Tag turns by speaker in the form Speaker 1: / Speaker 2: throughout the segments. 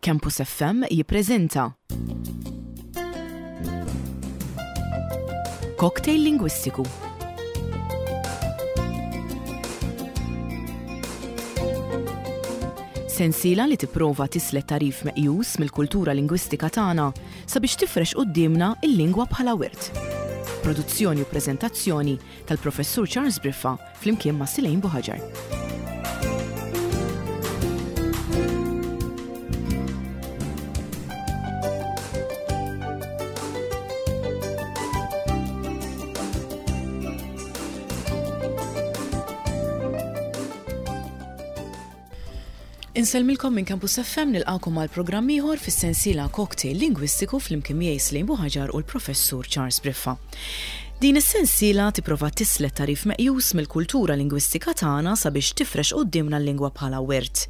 Speaker 1: Campus FM jippreżenta Cocktail Lingwistiku. Sensiela li tipprova tislet tagħrif meqjus mill-kultura lingwistika tagħna sabiex tifrex quddiemna l-lingwa bħala wirt. Produzzjoni u preżentazzjoni tal-Professur Charles Briffa flimkien ma' Silejn Buħaġar. Insellmilkom minn Campus FM nilqakom għal programm ieħor fis-sensiela Cocktail Lingwistiku flimkien miegħi Slim Buħaġar u l-Professur Charles Briffa. Din is-sensiela tipprova tislet tagħrif meqjus mill-kultura lingwistika tagħna sabiex tifrex quddiemna l-lingwa bħala wirt.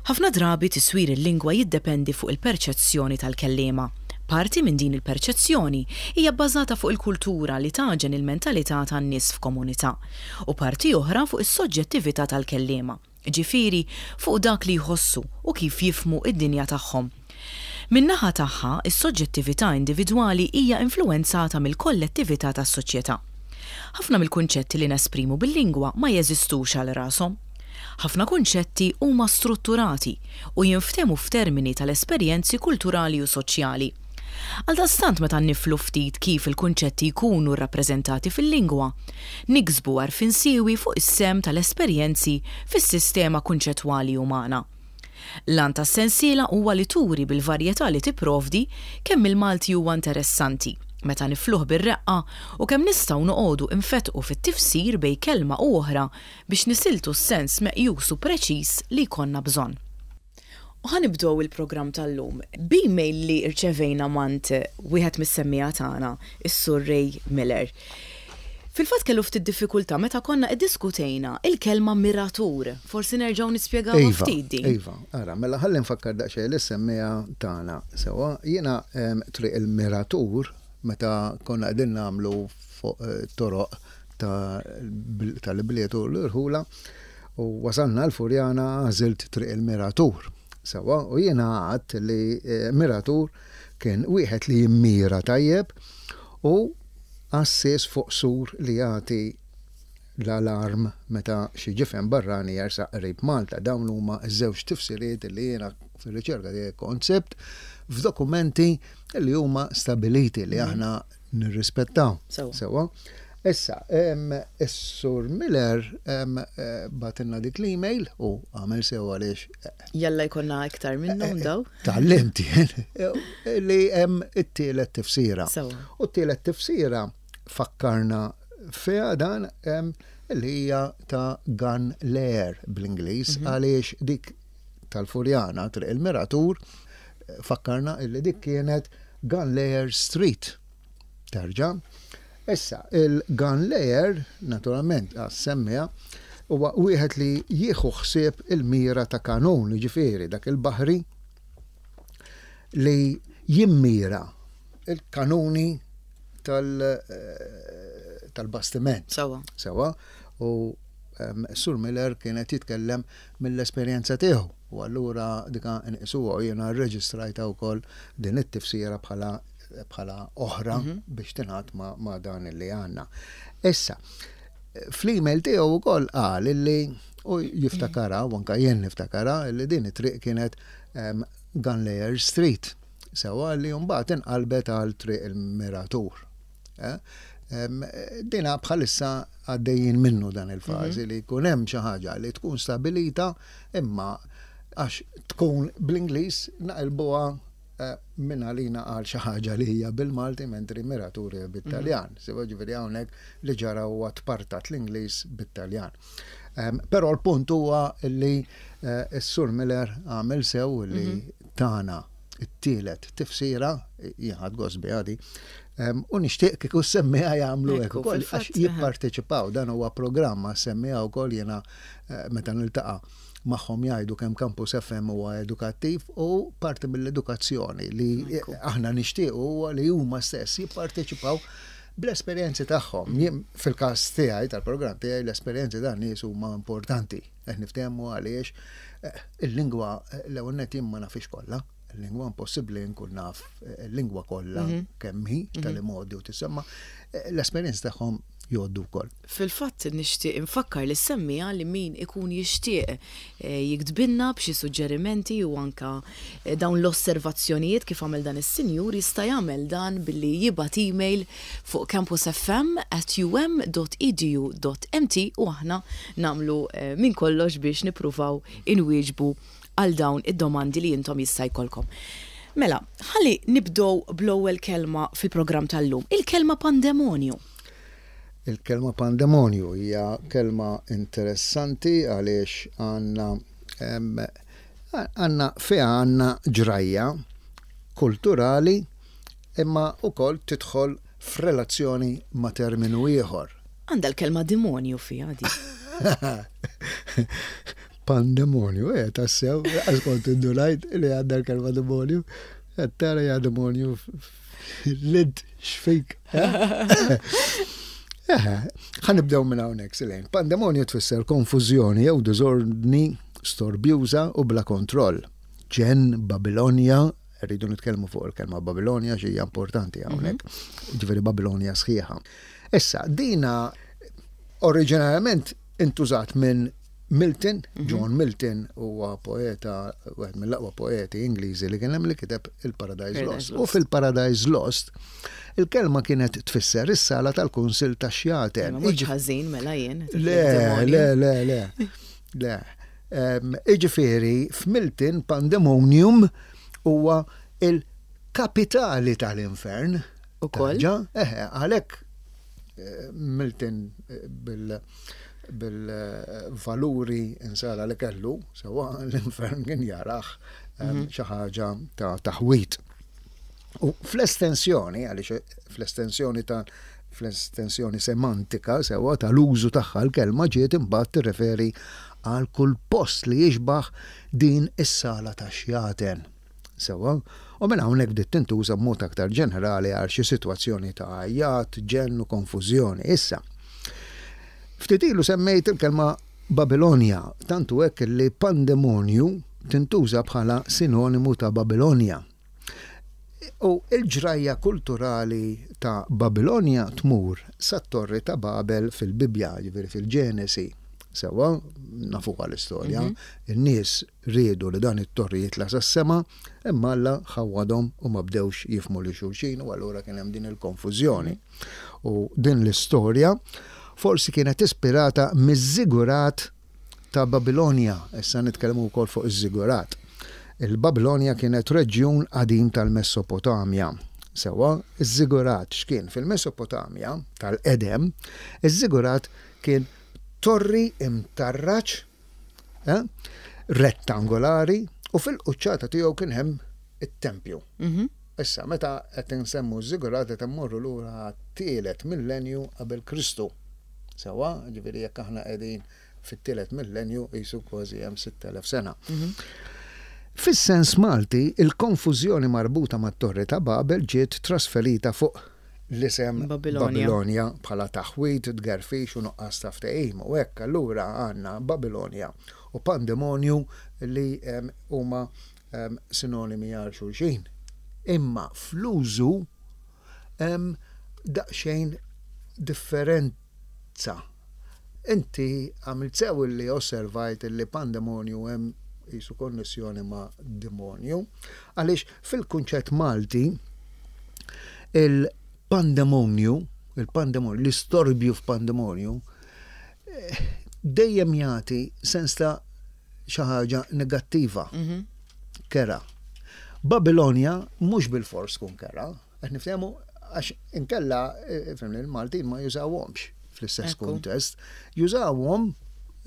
Speaker 1: Ħafna drabi tiswir il-lingwa jiddependi fuq il-perċezzjoni tal-kelliema. Parti minn din il-perċezzjoni hija bbażata fuq il-kultura li tagħġen il-mentalità tan-nies f'komunità, u parti oħra fuq is-soġġettività tal-kelliema. ġifieri fuq dak li jħossu u kif jifhmu d-dinja tagħhom. Min-naħa tagħha, is-soġġettività individwali hija influwenzata mill-kollettività tas-soċjetà. Ħafna mill-kunċetti li nesprimu bil-lingwa ma jeżistux għal rashom. Ħafna kunċetti huma strutturati u jinftehmu f'termini tal-esperjenzi kulturali u soċjali. Għaldaqstant meta niflu ftit kif il-kunċetti jkunu rrappreżentati fil-lingwa, niksbu għarfien siewi fuq is-sehem tal-esperjenzi fis-sistema kunċettwali umana. L-għan tas-sensiela huwa li turi bil-varjetà li tipprovdi kemm il-Malti huwa interessanti meta nifluh bir-reqqa u kemm nistgħu noqogħdu nfettqu fit-tifsir bejn kelma u oħra biex nisiltu s-sens meqjus u preċiż li jkollna bżonn. U ħa nibdew il-programm tal-lum b'email li rċevejna m'għand wieħed mis-semmiegħa tagħna, is-Sur Ray Miller. Fil-fatt kellu ftit diffikultà meta konna iddiskutejna il-kelma miratur. Forsi nerġgħu nispjegawha ftit din.
Speaker 2: Iva, ara, mela ħalli nfakkar daqsxejn lis-semmiegħa tagħna. Sewwa, jiena Triq il-Miratur meta konna qegħdin nagħmlu fuq toroq tal-ibliet u l-irħula u wasalna l-Furjana għażilt Triq il-Miratur. Sewwa, u jiena għadt li miratur kien wieħed li jimmira tajjeb u għassies fuq sur li jagħti l-alarm meta xi ġifen barrani jersaq qrib Malta. Dawn huma ż-żewġ tifsiriet li jiena fir-riċerka tiegħi kont sibt f'dokumenti li huma stabiliti li aħna nirrispettaw. Sewwa. Issa, is-Sur Miller bagħtilna dik l-email u għamel sew għaliex.
Speaker 1: Jalla jkollna iktar minnhom eh, daw.
Speaker 2: Tgħallimt jien li hemm it-tielet tifsira. U t-tielet tifsira fakkarna fiha dan li hija ta' gun layer bl-Ingliż mhm. għaliex dik tal-Furjana triq il-Miratur fakkarna illi dik kienet Gun Layer Street. Terġa'. Issa, il-gun layer, naturalment, għas-semmiegħa, huwa wieħed li jieħu ħsieb il-mira ta' kanun, jiġifieri dak il-baħri li jimmira il-kanuni tal-bastiment.
Speaker 1: Sewwa.
Speaker 2: Sewwa. U Sur Miller kien qed jitkellem mill-esperjenza tiegħu u allura dika nqisuha u jiena rreġistrajtha wkoll din it-tifsira bħala bħala oħra mhm. biex tingħad ma, ma dan li għandna. Issa, fl-email tiegħu wkoll qal illi u jiftakara, u anka jien niftakara, illi din it-triq kienet um, Gunlayer Street. Sewa li mbagħad inqalbet għal triq il-Miratur. Eh? Dina bħalissa għaddejjin minnu dan il-fażi mhm. li jkun hemm xi ħaġa li tkun stabilita imma għax tkun bl-Ingliż naqilbuha Minn għalina qal xi ħaġa li hija bil-Malti mentri Miratur hija bit-Taljan. Sewa ġifieri hawnhekk li ġara huwa tpartat l-Ingliż bit-Taljan. Però l-punt huwa li s-Sur Miller għamel sew li tana t-tielet tifsira, jien ħadt gost biha di, u nixtieq kieku s-semmiegħa jagħmlu hekk ukoll għax jipparteċipaw. Dan huwa programm għas-semmiegħa wkoll jiena meta niltaqa' magħhom jgħidu kemm Campus FM huwa edukattiv u parti mill-edukazzjoni li aħna nixtiequ huwa li huma stess jipparteċipaw bl-esperjenzi tagħhom. Jien fil-każ tiegħi tal-programm tiegħi l-esperjenzi tan nies huma importanti. Qed niftehmu għaliex eh, il-lingwa eh, l-ewwel nett jien ma nafix kollha. lingwa impossibbli nkun naf eh, lingwa kollha mhm. kemm hi mhm. tal-modi u tisemma eh, l-esperjenza tagħhom jgħoddu wkoll.
Speaker 1: Fil-fatt nixtieq infakkar lis-semmiegħa li min ikun jixtieq jiktbilna b'xi suġġerimenti u anke dawn l-osservazzjonijiet kif għamel dan is-sinjur jista' jagħmel dan billi jibgħat email fuq campusfm at um dot edu dot mt u aħna nagħmlu minn kollox biex nippruvaw inwieġbu għal dawn id-domandi li intom jista' jkollkom. Mela, ħalli nibdew bl-ewwel kelma fil-programm tal-lum, il-kelma pandemonju.
Speaker 2: Il-kelma pandemonju hija kelma interessanti għaliex għandna għandna fiha għandna ġrajja kulturali imma wkoll tidħol f'relazzjoni ma' terminu ieħor.
Speaker 1: Għandha l-kelma demonju fiha di.
Speaker 2: Pandemonju, eh, tassew, għax kont indunajt li għandha l-kelma demonju, qed tara ja demonju lid xfik. Eh, ħa nibdew minn hawnhekk Silejn. Pandemonju tfisser konfużjoni jew diżordni storbjuża u bla kontroll. Ġen, Babilonja, rridu nitkellmu fuq il-kelma Babilonja xi hija importanti hawnhekk. Mhm. Ġifieri Babilonja sħiħa. Issa, dina oriġinarjament intużat minn Milton, mhm. John Milton huwa poeta, wieħed mill-aqwa poeti Ingliżi li kien hemm li kiteb il-Paradise Lost. U fil-Paradise Lost, il-kelma kienet tfisser is-sala tal-Kunsil ta' Xjaten.
Speaker 1: Mhux ħażin mela jien.
Speaker 2: Le, le, le, le. Le. Iġifieri f'Milton Pandemonium huwa il-kapitali tal-infern.
Speaker 1: Ukoll.
Speaker 2: Eħe, għalhekk eh, Milton eh, bil bil-valuri insara li kellu, sewa l-infern kien jaraħ mhm. xi ħaġa ta' taħwit. U fl-estensjoni, għaliex fl-estensjoni ta' fl-estensjoni semantika sewa tal-użu tagħha l-kelma ġiet imbagħad tirreferi għal kull post li jixbaħ din is-sala ta' xjaten. Sewwa, u minn hawnhekk bdiet tintuża b'mod aktar ġenerali għal xi sitwazzjoni ta' għajjat, ġenn u konfużjoni. Issa, ftit ilu semmejt il-kelma Babilonja, tant hu hekk li pandemonju tintuża bħala sinonimu ta' Babilonja. U l-ġrajja kulturali ta' Babilonja tmur sat-Torri ta' Babel fil-Bibbja, jiġifieri fil-Ġenesi. Sewwa, nafuha l-istorja, in-nies Riedu li dan it-torri jitla' sas-sema, imma Alla ħawwadhom u ma bdewx jifhmu lil xulxin u allura kien hemm din il-konfużjoni. U din l-istorja forsi kienet ispirata miż-żigurat ta' Babilonja. Issa nitkellmu wkoll fuq iż-żigurat. Il-Babilonja kienet reġjun qadim tal-Messopotamja. Sewwa, iż-żigurat x'kien? Fil-Messopotamja tal-qedem, iż-żigurat kien torri imtarraġ eh, rettangolari u fil-quċċata tiegħu kien hemm it-tempju. Mhm. Issa, meta qed insemmu ż-żigurat qed immorru lura għat-tielet millenju qabel Kristu. Sewwa, ġifieri jekk aħna qegħdin fit-tielet millenju qisu kważi hemm 6000 sena. Mhm. Fis-sens Malti, il-konfużjoni marbuta mat-Torri ta' Babel ġiet trasferita fuq l-isem Babilonja bħala taħwid, tgerfix u nuqqas ta' ftehim. U hekk allura għandna Babilonja u pandemonju li huma sinonimi għal xulxin. Imma fl-użu hemm daqsxejn differenza. Inti għamilt sew li osservajt li pandemonju hemm qisu konnessjoni ma' demonju, għaliex fil-kunċett Malti Il-pandemonju, il-pandemonju, l-istorbju f'pandemonju, eh, dejjem jagħti sens ta' xi ħaġa negattiva, mhm. kera. Babilonja mhux bil-fors tkun kera, qed niftehmu għax inkella eh, fimni il-Maltin ma jużawhomx fl-istess kuntest, jużawhom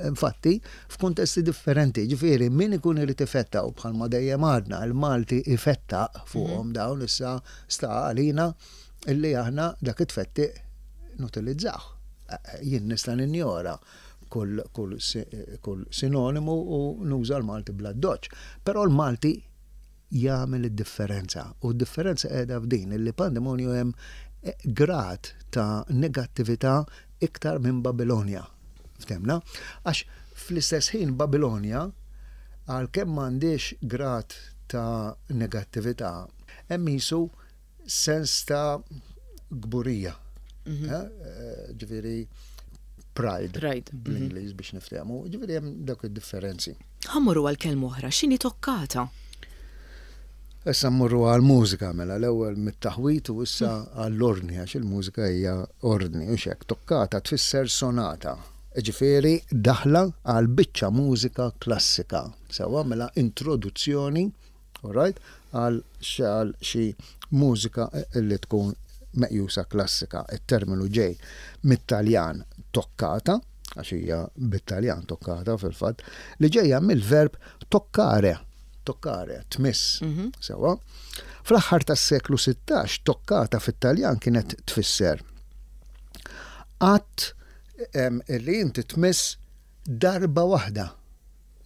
Speaker 2: infatti f'kuntesti differenti, ġifieri min ikun irid ifetta u bħalma dejjem għadna il-Malti ifettaq fuqhom mhm. dawn issa sta għalina illi aħna dak it-tfettiq nutilizzah. Eh, eh, jien nista' ninjora kull, kull, kull sinonimu u nuża l-Malti bla doċ. Però l-Malti jagħmel id-differenza. U d-differenza qiegħda f'din illi pandemonju hemm eh, grad ta' negattività iktar minn Babilonja. Ftemna? Għax fl-istess ħin Babilonja għalkemm m'għandix grad ta' negattività, hemm qisu sens ta' kburija. Mhm. Eh, eh, ġifieri pride, pride. Mhm. bl-Ingliż biex niftehmu, ġifieri hemm dawk id-differenzi.
Speaker 1: Ħa mmorru għal kelma oħra, x'inhi toccata?
Speaker 2: Issa mmorru għall-mużika mela l-ewwel mit-taħwid u issa għall-ordni għax il-mużika hija ordni u xek. Toccata tfisser sonata, ġifieri daħla għal biċċa mużika klassika. Sewwa mela introduzzjoni, alright, għal xi mużika li tkun meqjusa klassika. It-terminu ġej mit-Taljan toccata, għax hija bit-Taljan toccata fil-fatt, li ġejja mill-verb toccare, toccare, tmiss, mhm. sewwa. Fl-aħħar tas-seklu 16 toccata fit-Taljan kienet tfisser att li inti tmiss darba waħda.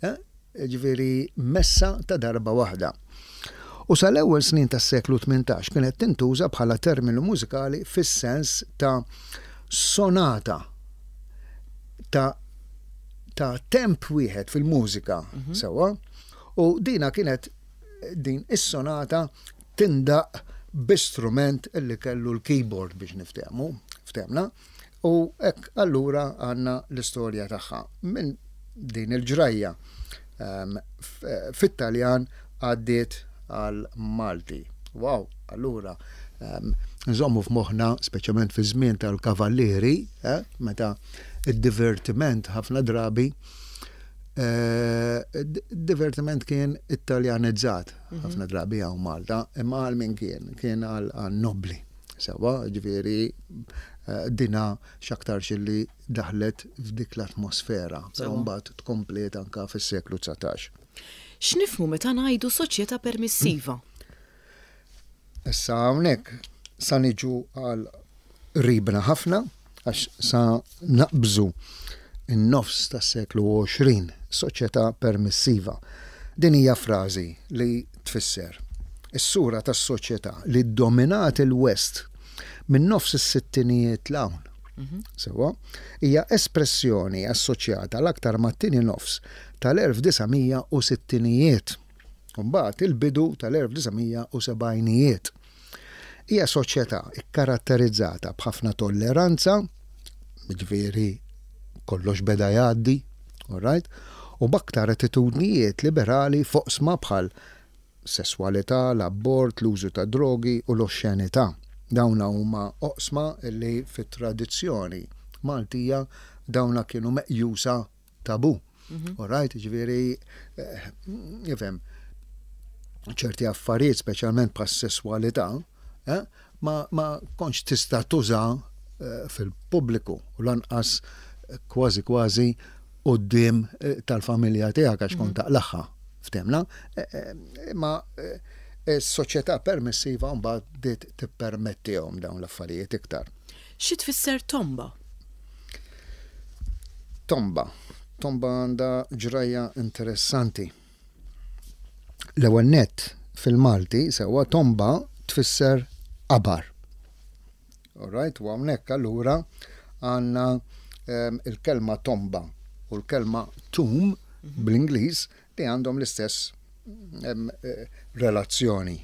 Speaker 2: Eh? Ġifieri messa ta' darba waħda. U sal-ewwel snin tas-seklu 18 kienet tintuża bħala terminu mużikali fis-sens ta' sonata ta' ta' temp wieħed fil-mużika mhm. sewwa. U dina kienet din is-sonata tindaq bi strument illi kellu l-keyboard biex niftehmu, ftehmna. U hekk allura għandna l-istorja tagħha. Minn din il-ġrajja ehm, fit-Taljan għaddiet għal Malti. Wow, allura ehm, nżommu f'moħħna, speċjalment fi żmien tal-kavallieri, eh, meta id-divertiment ħafna drabi eh, divertiment kien italjanizzat mhm. ħafna drabi hawn Malta, imma għal min kien, kien għal nobli. Sewwa, jiġifieri dina x'aktarx illi daħlet f'dik l-atmosfera, però mbagħad tkompliet anke fis-seklu 19.
Speaker 1: X'nifhmu meta ngħidu soċjetà permissiva?
Speaker 2: Issa hawnhekk sa niġu għal qribna ħafna għax sa naqbżu n-nofs tas-seklu 20, soċjetà permissiva. Din hija frażi li tfisser is-sura tas-soċjetà li ddominat il-West minn nofs is-sittinijiet 'l hawn. Mhm. Sewwa, hija espressjoni assoċjata l-aktar mat-tieni nofs tal-1960ijiet u mbagħad il-bidu tal-1970ijiet. Hija soċjetà kkaratterizzata b'ħafna tolleranza, jiġifieri kollox beda jgħaddi, all right, u b'aktar attitudnijiet liberali f'oqsma bħal sesswalità, l-abort, l-użu ta' drogi u l-oxxenità. Dawna huma oqsma li fit-tradizzjoni Maltija dawna kienu meqjusa tabù. Mhm. All right, ġifieri, eh, ifhem, ċerti affarijiet, speċjalment bħas-sesswalità, eh, ma, ma kontx tista' tuża eh, fil-pubbliku u lanqas kważi kważi quddiem tal-familja tiegħek għax kont mhm. taqlaħħa ftemna. Imma s-soċjetà permissiva mbagħad bdiet tippermettihom dawn l-affarijiet iktar.
Speaker 1: Xi tfisser tomba?
Speaker 2: Tomba. Tomba għandha ġrajja interessanti. L-ewwel nett fil-Malti sewwa tomba tfisser qabar. All right, u hawnhekk allura għandna ehm, il-kelma tomba u l-kelma tomb mhm. bl-Ingliż li għandhom l-istess ehm, eh, relazzjoni.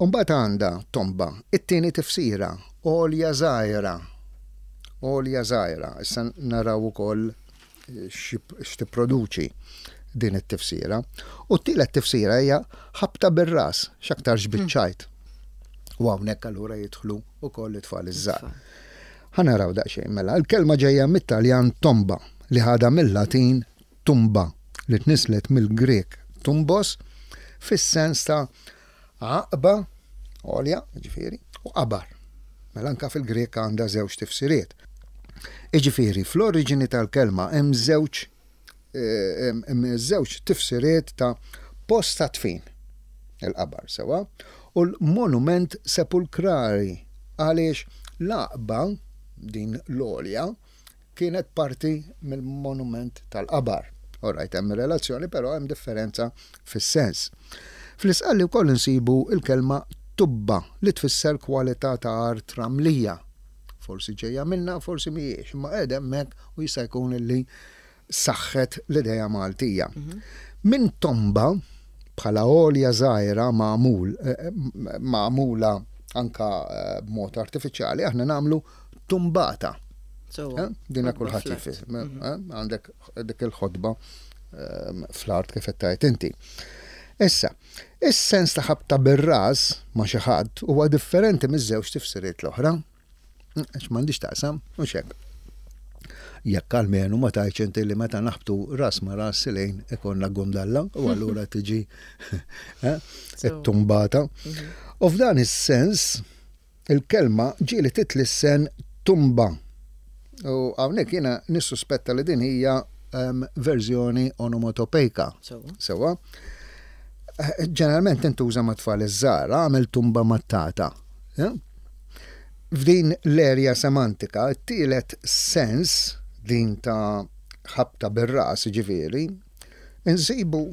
Speaker 2: Umbagħad għandha tomba, it-tieni tifsira, għolja żgħira. Għolja żgħira, issa naraw ukoll eh, x'tipproduċi din it-tifsira. U t-tielet tifsira hija ħabta bir-ras, x'aktarx hmm. biċ-ċajt. U hawnhekk allura jidħlu wkoll it-tfal iż-żgħar. Ħa naraw daqsxejn mela, il-kelma ġejja mit-Taljan tomba li ħadha mill-Latin tumba li tnisslet mill-Grieg tumbos fis-sens ta' għaqba, għolja, jiġifieri, u qabar. Mela anka fil-Grieg għandha żewġ tifsiriet. Jiġifieri fl-oriġini tal-kelma hemm żewġ eh, hemm żewġ tifsiriet ta' post ta' dfin, il-qabar sewa, u l-monument sepulkrali għaliex l-għaqba din l-għolja kienet parti mill-monument tal-qabar. All right, hemm relazzjoni, però hemm differenza fis-sens. Fl-Isqalli wkoll insibu l-kelma tubba li tfisser kwalità ta' art ramlija. Forsi ġejja minnha, forsi mhijiex, imma qiegħda hemmhekk u jista' jkun illi saħħet l-idea Maltija. Mhm. Minn tomba. bħala għolja żgħira magħmul magħmula anka b'mod artifiċjali aħna nagħmlu tumbata. Dina kulħadd jifhem. Għandek dik il-ħotba fl-art kif qed tgħid inti. Issa, is-sens ta' ħabta bir-ras ma' xi ħadd huwa differenti miż-żewġ tifsiriet l-oħra. Għax m'għandix taqsam, mhux hekk. Jekk almenu ma tgħidx inti li meta naħbtu ras ma ras lejn ikonna gundalla u allura tiġi eh, it-tumbata. Mhm. U f'dan is-sens il-kelma ġieli titlissen tumba. U hawnhekk jiena nissuspetta li din hija ehm, verżjoni onomatopejka. Sewa. Eh, ġeneralment tintuża ma' tfal iż-żgħar, għamel tumba mat-tata. Eh? F'din l-erja semantika, t-tielet sens, din ta' ħabta bir-ras, jiġifieri, insibu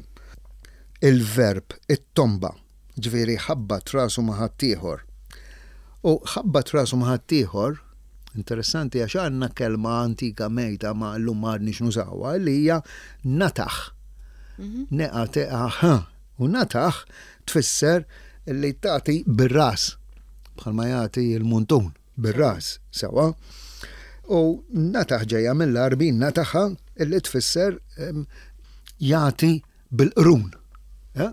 Speaker 2: il-verb ittomba, jiġifieri ħabbat rasu ma' ħaddieħor. U ħabbat rasu ma' ħaddieħor, interessanti għax għandna kelma antika mejta ma llum ma għadniex nużawha, li hija nataħ. N-A-T-A-H. U nataħ tfisser li tagħti bir-ras, bħalma jagħti l-muntun bir-ras, sewwa. U nataħ ġejja mill-Għarbi nataħa li tfisser jagħti bil-qrun. Eh?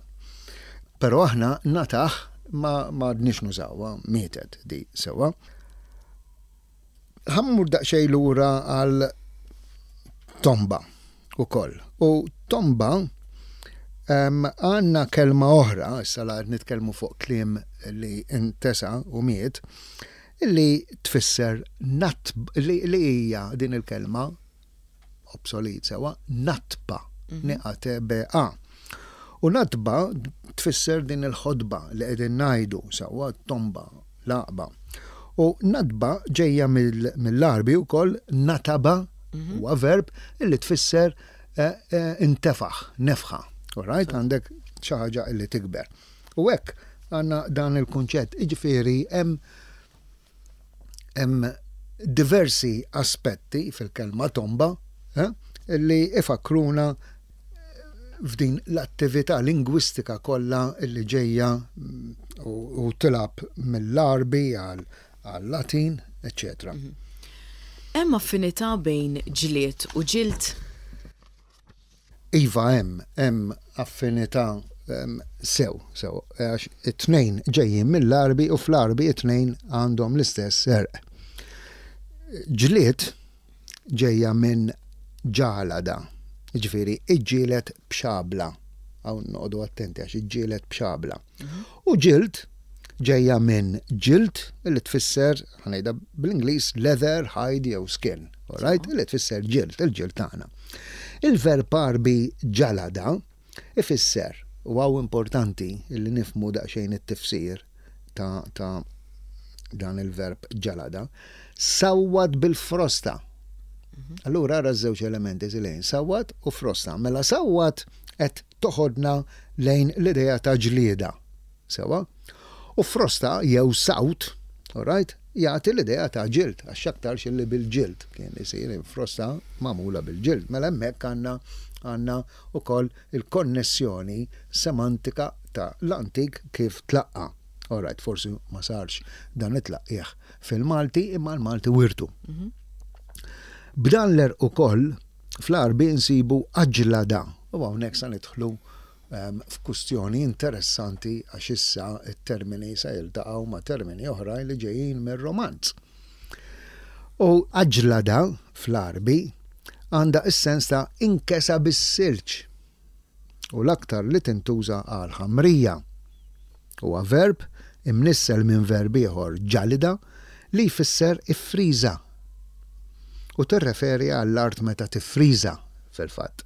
Speaker 2: Però aħna nataħ ma għadniex nużawha, mietet di sewwa. Ħa mmur daqsxejn lura għal tomba ukoll. U tomba għandna kelma oħra, issa la qed nitkellmu fuq kliem li intesa u miet, li tfisser nat li hija din il-kelma obsolet sewa, natba, N-A-T-B-A. U natba tfisser din il-ħotba li qegħdin ngħidu sewwa tomba, l-għaqba. U natba ġejja mill-Għarbi wkoll nataba mhm. huwa verb li tfisser eh, eh, intefaħ, nefħa. All right? Għandek xi ħaġa li tikber. U hekk għandna dan il-kunċett, jiġifieri hemm Hemm diversi aspetti fil-kelma tomba eh, li ifakkruna f'din l-attività lingwistika kollha li ġejja mm, u tilgħab mill-Għarbi għal-Latin, eċċetera. Mhm.
Speaker 1: Hemm affinità bejn ġlied u ġild?
Speaker 2: Iva hemm, hemm affinità sew, sew, għax it-tnejn ġejjin mill-Għarbi u fl-Għarbi it-tnejn għandhom l-istess għerq. Ġlied ġejja minn ġalada, jiġifieri iġġieled b'xabla. Hawn noqogħdu attenti għax iġġieled b'xabla. U ġild ġejja minn ġild li tfisser, ħa ngħidha bl-Ingliż, leather, hide jew skin, all right? Li tfisser ġild, il-ġild tagħna. Il-verb Għarbi ġalada ifisser, u hawn importanti li nifhmu daqsxejn it-tifsir ta', ta dan il-verb ġalada, sawwat bil-frosta. Mhm. Allura ara ż-żewġ elementi lejn sawwat u frosta. Mela sawwat qed toħodna lejn l-idea ta' ġlieda. Sewwa? U frosta jew sawt, all right, jagħti l-idea ta' ġild, għax x'aktarx illi bil-ġild kien isir frosta magħmula bil-ġild. Mela hemmhekk għandna għandna wkoll il-konnessjoni semantika ta' l-antik kif tlaqqa'. All right, forsi ma sarx dan it-tlaqqigħ fil-Malti imma l-Malti wirtu. B'dan l-għerq ukoll Fl-Għarbi nsibu aġlada u hawnhekk sa nidħlu f'kustjoni interessanti għax issa t-termini se jiltaqgħu ma' termini oħrajn li ġejjin mir-Romanz. U aġlada fl-Għarbi għandha s-sens ta' inkesa bis-silġ u l-aktar li tintuża għall-ħamrija. Huwa verb imnissel minn verb ieħor ġalida li jfisser iffriża u tirreferi għall-art meta tiffriża fil-fatt.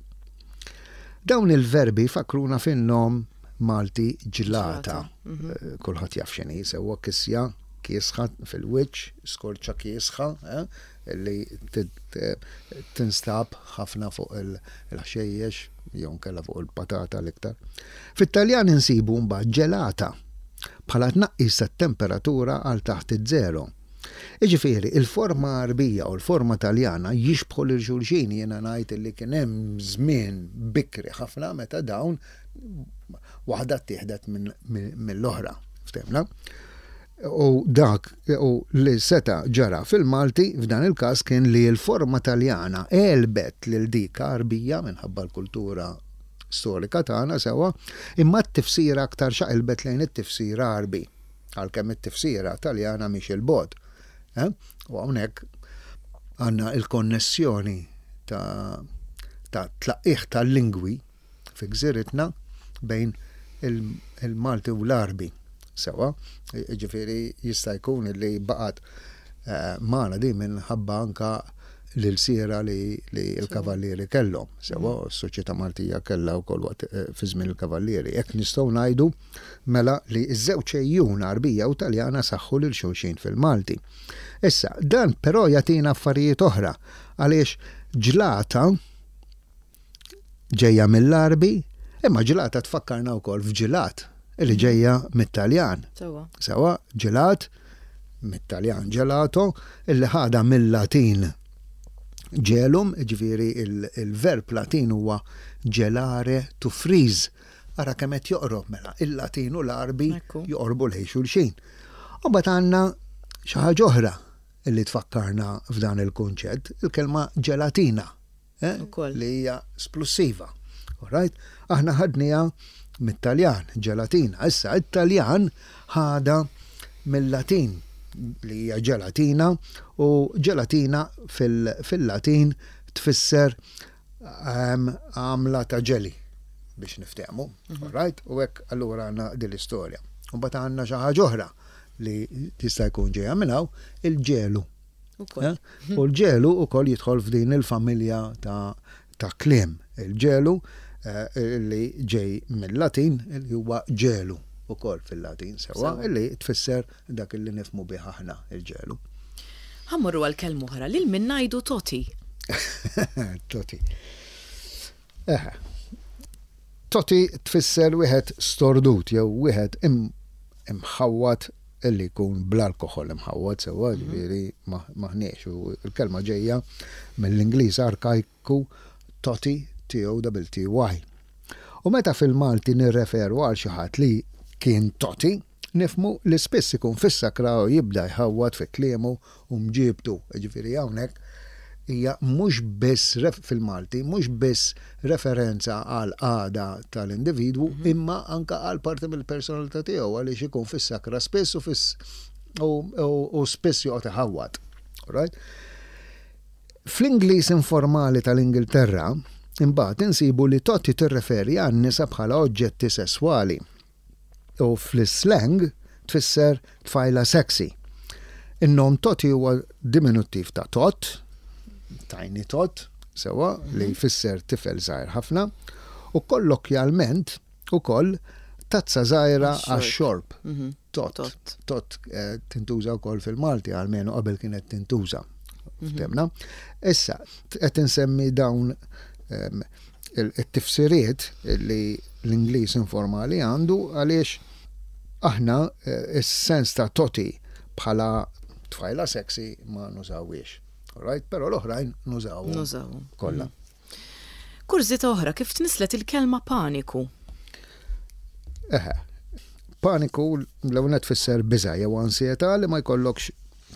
Speaker 2: Dawn il-verbi jfakkruna fin-nom Malti ġlata. Mhm. Eh, kulħadd jaf x'inhi sewwa kisja kiesħa fil-wiċċ, skorċa kiesħa, eh, li tinstab ħafna fuq il-ħxejjex jew nkella fuq il-patata l-iktar. Fit-Taljan insibu mbagħad ġelata bħala tnaqqis tat-temperatura għal taħt iż-żero. Jiġifieri, il-forma Għarbija u l-forma Taljana jixbħu lil xulxin, jiena ngħid li kien hemm żmien bikri ħafna meta dawn waħda ttieħdet mill-oħra. Ftehmna? U dak u li seta' ġara fil-Malti f'dan il-każ kien li l-forma Taljana għelbet lil dik Għarbija minħabba l-kultura storika tagħna sewwa, imma t-tifsira aktar xaqilbet lejn it-tifsir Għarbi. Għalkemm it-tifsira Taljana mhix 'il bogħod. U hawnhekk għandna l-konnessjoni ta' ta' tlaqqigħ tal-lingwi fi gżiritna bejn il-Malti u l-Għarbi. Sewwa, jiġifieri jista' jkun li baqgħet magħna din minħabba anke l-ilsiera li l-Kavallieri kellhom. Sewwa, s-soċjetà Maltija kellha wkoll waqt fi żmien il-Kavallieri. Hekk nistgħu ngħidu mela li ż-żewġ għejjun Għarbija u Taljana saħħu lil xulxin fil-Malti. Issa, dan però jagħtina affarijiet oħra għaliex ġlata ġejja mill-Għarbi, imma ġlata tfakkarna wkoll f'ġilat li ġejja mit-Taljan.
Speaker 1: Sewwa.
Speaker 2: Sewwa, ġilat mit-Taljan gelato illi ħadha mill-Latin gelum, jiġifieri il-verb Latin huwa gelare to freeze. Ara kemm qed joqrob mela il-Latin u l-Għarbi joqorbu lejn xulxin. U mbagħad għandna xi ħaġa oħra li tfakkarna f'dan il-kunċett, il-kelma ġelatina. Eh, li hija splussiva. Alright? Aħna ħadniha mit-Taljan, ġelatina. Issa, it-Taljan ħadha mill-Latin li hija ġelatina u ġelatina fil-Latin tfisser ehm, għamla ta' ġeli biex niftehmu. Mhm. Alright? U hekk allura għandna din l-istorja. U mbagħad għandna xi ħaġa oħra li tista' jkun ġejja minn hawn, il-ġelu.
Speaker 1: Eh?
Speaker 2: U l-ġelu wkoll jidħol f'din il-familja ta' ta' kliem. Il-ġelu eh, li ġej mill-Latin li huwa ġelu ukoll fil-Latin sewwa li tfisser dak li nifhmu bih aħna il-ġelu.
Speaker 1: Ħa mmorru għal kelma oħra, lil min ngħidu toti?
Speaker 2: Toti. Eħe. Toti tfisser wieħed stordut jew wieħed imħawwad illi jkun bl-alkoħol imħawwad sewwa, ġifieri maħniex u l-kelma ġejja mill-Ingliż arkajku totty, T-O-T-T-Y. U meta fil-Malti nirreferu għal xi ħadd li kien toti, nifhmu li spiss ikun fis-sakra u jibda jħawwad fi kliemu u mġiebtu. Jiġifieri hawnhekk hija mhux biss fil-Malti mhux biss referenza għall-qagħda tal-individwu imma anke għal parti mill-personalità tiegħu għaliex ikun fis-sakra spiss u fis u spiss joqgħod iħawwad. Alright? Fl-Ingliż informali tal-Ingilterra, imbagħad insibu li toti tirreferi għan-nisa bħala oġġetti sesswali. U fl-islang tfisser tfajla sexy. In-nom Toti huwa diminuttiv ta' Tot, tiny tot, sewwa, li mhm. jfisser tifel żgħir ħafna, u kollokjalment ukoll tazza żgħira għax-xorb. Mhm. Tot. Tot eh, tintuża wkoll fil-Malti għalmenu qabel kienet tintuża. Mhm. Ftemna. Issa, qed insemmi dawn ehm, it-tifsiriet li l-Ingliż informali għandu għaliex aħna eh, is-sens ta' toti bħala tfajla sexy ma nużawiex. Alright? Però l-oħrajn nużawhom.
Speaker 1: Nużawhom.
Speaker 2: Kollha.
Speaker 1: Mm. Kurżità oħra, kif tnisslet il-kelma paniku?
Speaker 2: Eħe. Paniku l-ewwel nett tfisser biża' jew ansjetà li ma jkollokx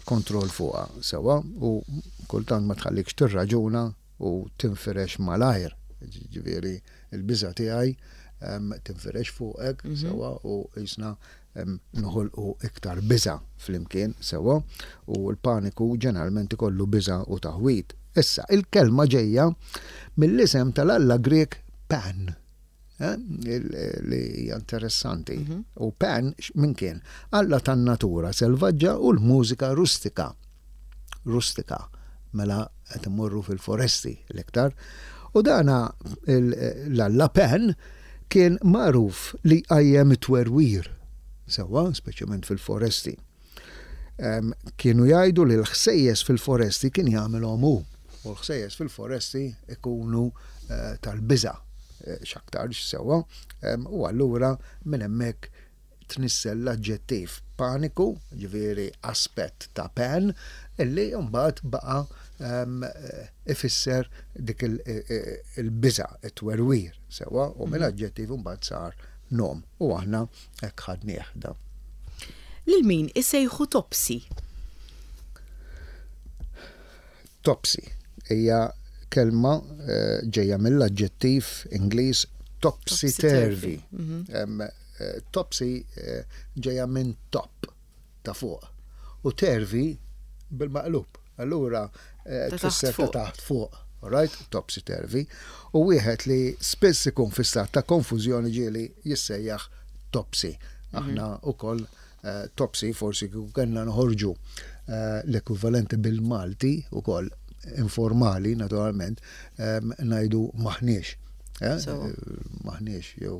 Speaker 2: kontroll fuqha sewwa u kultant ma tħallikx tirraġuna u tinfirex malajr. Ġifieri l-biża' tiegħi tinfirex fuqek mhm. sewwa u jisna noħolqu iktar biża' flimkien sewwa u l-paniku ġeneralment ikollu biża' u taħwid. Issa, il-kelma ġejja mill-isem tal-alla Grieg Pan. Eh, li hija interessanti. Mhm. U Pan minn kien? Alla tan-natura selvaġġa u l-mużika rustika. Rustika, mela qed imorru fil-foresti l-iktar. U dana l-alla Pan kien magħruf li jqajjem it-twerwir, sewwa, speċjalment fil-foresti. Kienu jgħidu li l-ħsejjes fil-foresti kien jagħmilhom hu, u l-ħsejjes fil-foresti ikunu eh, tal-biża' eh, x'aktarx sewwa, u allura minn hemmhekk tnissel l-aġġettiv paniku, ġifieri aspett ta' pan, illi mbagħad baqa' ifisser dik il-biża', it-twerwir, sewwa, u minn aġġettiv imbagħad sar nom u aħna hekk ħadnieh dan.
Speaker 1: Lil min isejħu Topsy?
Speaker 2: Topsy hija kelma ġejja mill-aġġettiv Ingliż topsy-turvy. Topsy ġejja minn top, ta' fuq, u turvy bil-maqlub. Allura tfisser ta' taħt fuq. Alright? Topsy-turvy. U wieħed li spiss ikun fi stat ta' konfużjoni ġieli jissejjaħ topsy. Aħna wkoll Topsy forsi kieku kellna noħorġu l-ekwivalenti bil-Malti ukoll informali naturalment ngħidu maħniex. Maħniex jew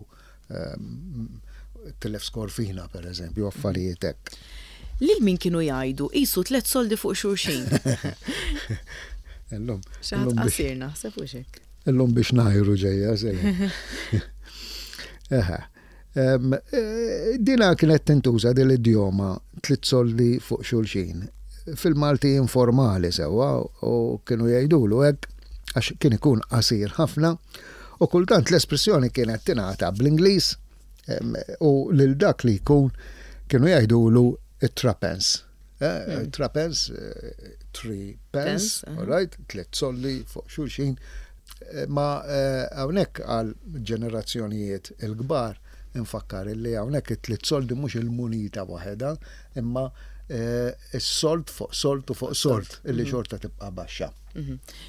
Speaker 2: tilef skorfina per eżempju, affarijiet hekk.
Speaker 1: Lil min kienu jgħidu qisu tlet soldi fuq xulxin?
Speaker 2: Illum.
Speaker 1: Xi ħadd qasir naħseb hux hekk.
Speaker 2: Illum biex ngħajru ġejja sejjer. Eħe. Dina kienet tintuża din l-idjoma tliet soldi fuq xulxin fil-Malti informali sewwa u kienu jgħidulu hekk għax kien ikun qasir ħafna u kultant l-espressjoni kienet tingħata bl-Ingliż u lil dak li jkun kienu jgħidulu it-trapens. Trapens, three pence, all right, tliet soldi fuq xulxin. Ma hawnhekk għal ġenerazzjonijiet il-kbar infakkar illi hawnhekk it-tliet soldi mhux il-munita waħedha, imma s-sold fuq sold u fuq sold illi xorta tibqa' baxxa.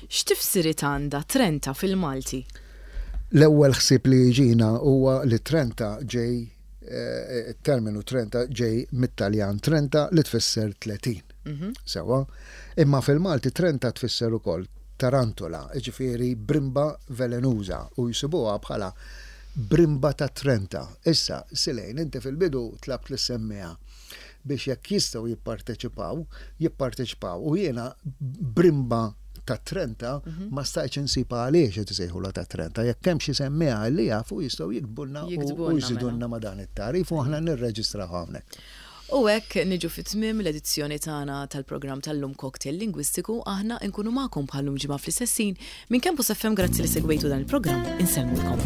Speaker 1: X'tifsiriet għandha Trenta fil-Malti?
Speaker 2: L-ewwel ħsieb li jiġina huwa li Trenta ġej it-terminu trenta ġej mit-Taljan trenta li tfisser 30. Sewwa? Imma fil-Malti trenta tfisser ukoll tarantula, jiġifieri brimba velenuża u jsibuha bħala brimba ta' trenta. Issa, Silejn, inti fil-bidu tlabt lis-semmiegħa biex jekk jistgħu jipparteċipaw, jipparteċipaw u jiena brimba ta' Trenta ma stajtx insib għaliex qed isejħulha ta' Trenta. Jekk hemm xi semmiegħa li jafu jistgħu jiktbulna u jżidulna ma' dan it-tagħrif u aħna nirreġistraw hawnhekk.
Speaker 1: U hekk niġu fi tmiem l-edizzjoni tagħna tal-programm tal-lum Cocktail Lingwistiku. Aħna nkunu magħkom bħal-lum ġimgħa fl-istess ħin. Minn Campus FM grazzi li segwejtu dan il-programm. Insellmulkom.